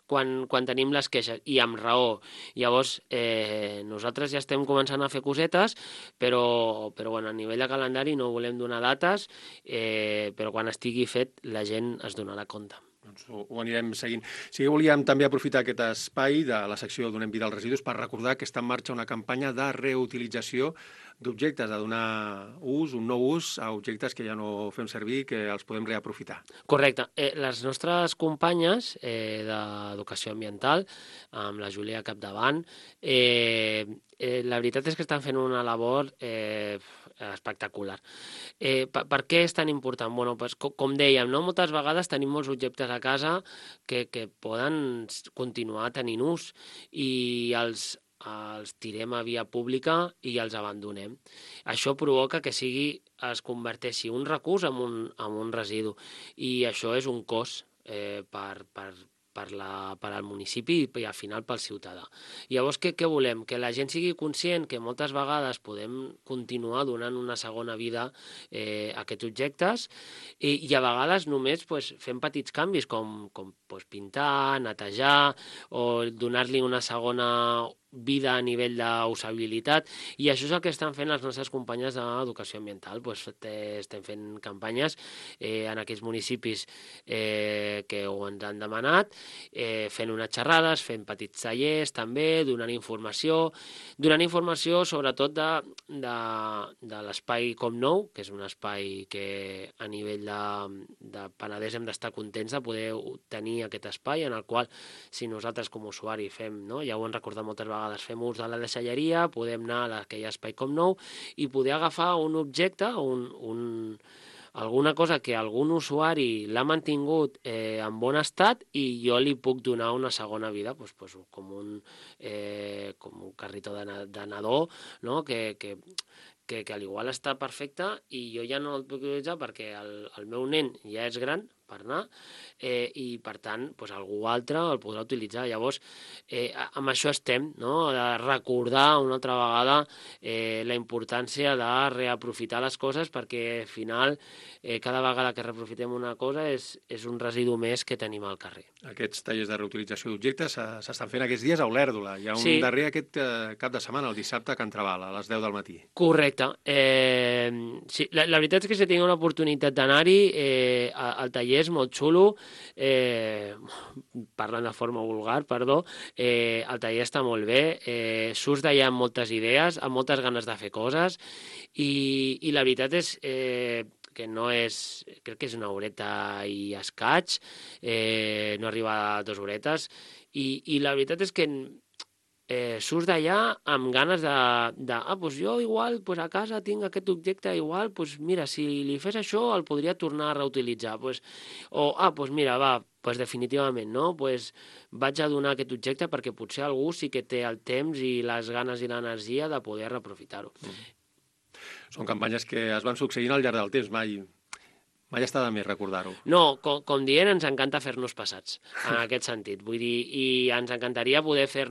quan tenim les queixes, i amb raó. Llavors nosaltres ja estem començant a fer cosetes, però bueno, a nivell de calendari no volem donar dates, però quan estigui fet la gent es donarà compte. Doncs ho anirem seguint. Sí que volíem també aprofitar aquest espai de la secció Donem vida als residus per recordar que està en marxa una campanya de reutilització d'objectes, de donar un nou ús a objectes que ja no fem servir, que els podem reaprofitar. Correcte. Les nostres companyes d'Educació Ambiental, amb la Júlia capdavant, la veritat és que estan fent una labor espectacular. Per què és tan important? Bueno, pues, com dèiem, no? Moltes vegades tenim molts objectes a casa que poden continuar tenint ús, i els tirem a via pública i els abandonem. Això provoca que es converteixi un recurs en un residu, i això és un cost per al municipi i al final pel ciutadà. Llavors, què volem? Que la gent sigui conscient que moltes vegades podem continuar donant una segona vida a aquests objectes, i a vegades només fem petits canvis com pintar, netejar, o donar-li una segona vida a nivell d'usabilitat, i això és el que estan fent les nostres companyes d'Educació Ambiental. Estem fent campanyes en aquells municipis que ho ens han demanat, fent unes xerrades, fent petits tallers també, donant informació sobretot de l'espai Com Nou, que és un espai que a nivell de Penedès hem d'estar contents de poder tenir aquest espai, en el qual si nosaltres com a usuari fem, no? Ja ho hem recordat moltes vegades, fem ús de la deixalleria, podem anar a aquell espai Com Nou i poder agafar un objecte, alguna cosa que algun usuari l'ha mantingut en bon estat, i jo li puc donar una segona vida, com un carritó de nadó, no? que al igual està perfecte i jo ja no el puc utilitzar perquè el meu nen ja és gran per anar, i per tant algú altre el podrà utilitzar. Llavors, amb això estem, no? De recordar una altra vegada la importància de reaprofitar les coses, perquè al final cada vegada que reaprofitem una cosa és un residu més que tenim al carrer. Aquests tallers de reutilització d'objectes s'estan fent aquests dies a Olèrdola. Hi ha un darrer aquest cap de setmana, el dissabte, a Can Trabal, a les 10 del matí. Correcte. Sí, la veritat és que si tinc una oportunitat d'anar-hi, el taller és molt xulo, parlant de forma vulgar, perdó, el taller està molt bé, surts d'allà amb moltes idees, amb moltes ganes de fer coses, i la veritat és que no és, crec que és una horeta i escaig, no arriba a 2 horetes, i la veritat és que surts d'allà amb ganes doncs jo igual a casa tinc aquest objecte, igual, mira, si li fes això el podria tornar a reutilitzar. Mira, definitivament, no? Vaig a donar aquest objecte perquè potser algú sí que té el temps i les ganes i l'energia de poder reaprofitar-ho. Són campanyes que es van succeint al llarg del temps, mai està de més recordar-ho. No, com dient, ens encanta fer-nos passats, en aquest sentit. Vull dir, i ens encantaria poder fer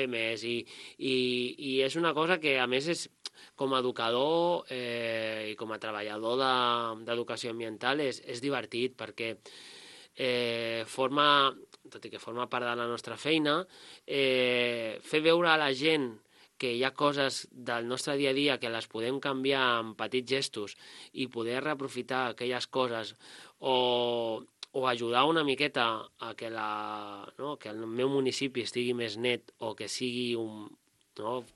més. I és una cosa que, a més, com a educador i com a treballador d'educació ambiental és divertit, perquè tot i que forma part de la nostra feina, fer veure a la gent que hi ha coses del nostre dia a dia que les podem canviar amb petits gestos i poder reaprofitar aquelles coses o ajudar una miqueta a que el meu municipi estigui més net o que sigui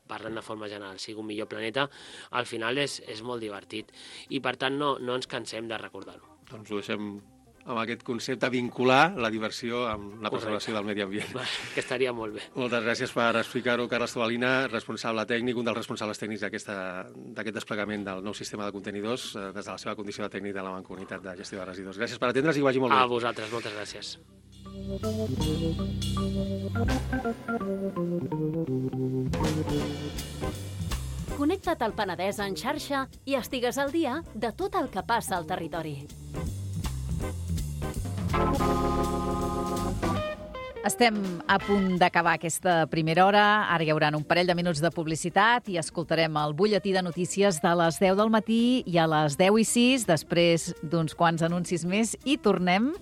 parlant de forma general, sigui un millor planeta, al final és molt divertit. I per tant no ens cansem de recordar-ho. Doncs ho deixem amb aquest concepte, vincular la diversió amb la preservació del medi ambient. Que estaria molt bé. Moltes gràcies per explicar-ho, Carles Tobalina, responsable tècnic, un dels responsables tècnics d'aquest desplegament del nou sistema de contenidors des de la seva condició de tècnic de la Mancomunitat de Gestió de Residus. Gràcies per atendre's i que vagi molt bé. A vosaltres, moltes gràcies. Connecta't al Penedès en xarxa i estigues al dia de tot el que passa al territori. Estem a punt d'acabar aquesta primera hora. Ara hi haurà un parell de minuts de publicitat i escoltarem el butlletí de notícies de les 10 del matí i a les 10:06, després d'uns quants anuncis més, i tornem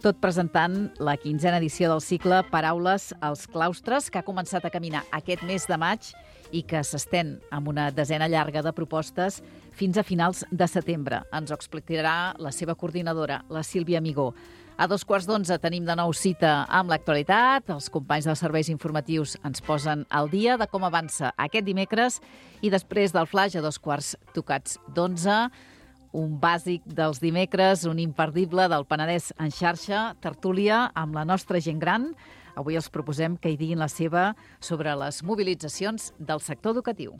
tot presentant la 15a edició del cicle Paraules als claustres, que ha començat a caminar aquest mes de maig i que s'estén amb una desena llarga de propostes fins a finals de setembre. Ens ho explicarà la seva coordinadora, la Sílvia Amigó. A 11:15 tenim de nou cita amb l'actualitat. Els companys dels serveis informatius ens posen al dia de com avança aquest dimecres i després del flaix a 11:15, un bàsic dels dimecres, un imperdible del Penedès en xarxa, tertúlia amb la nostra gent gran. Avui els proposem que hi diguin la seva sobre les mobilitzacions del sector educatiu.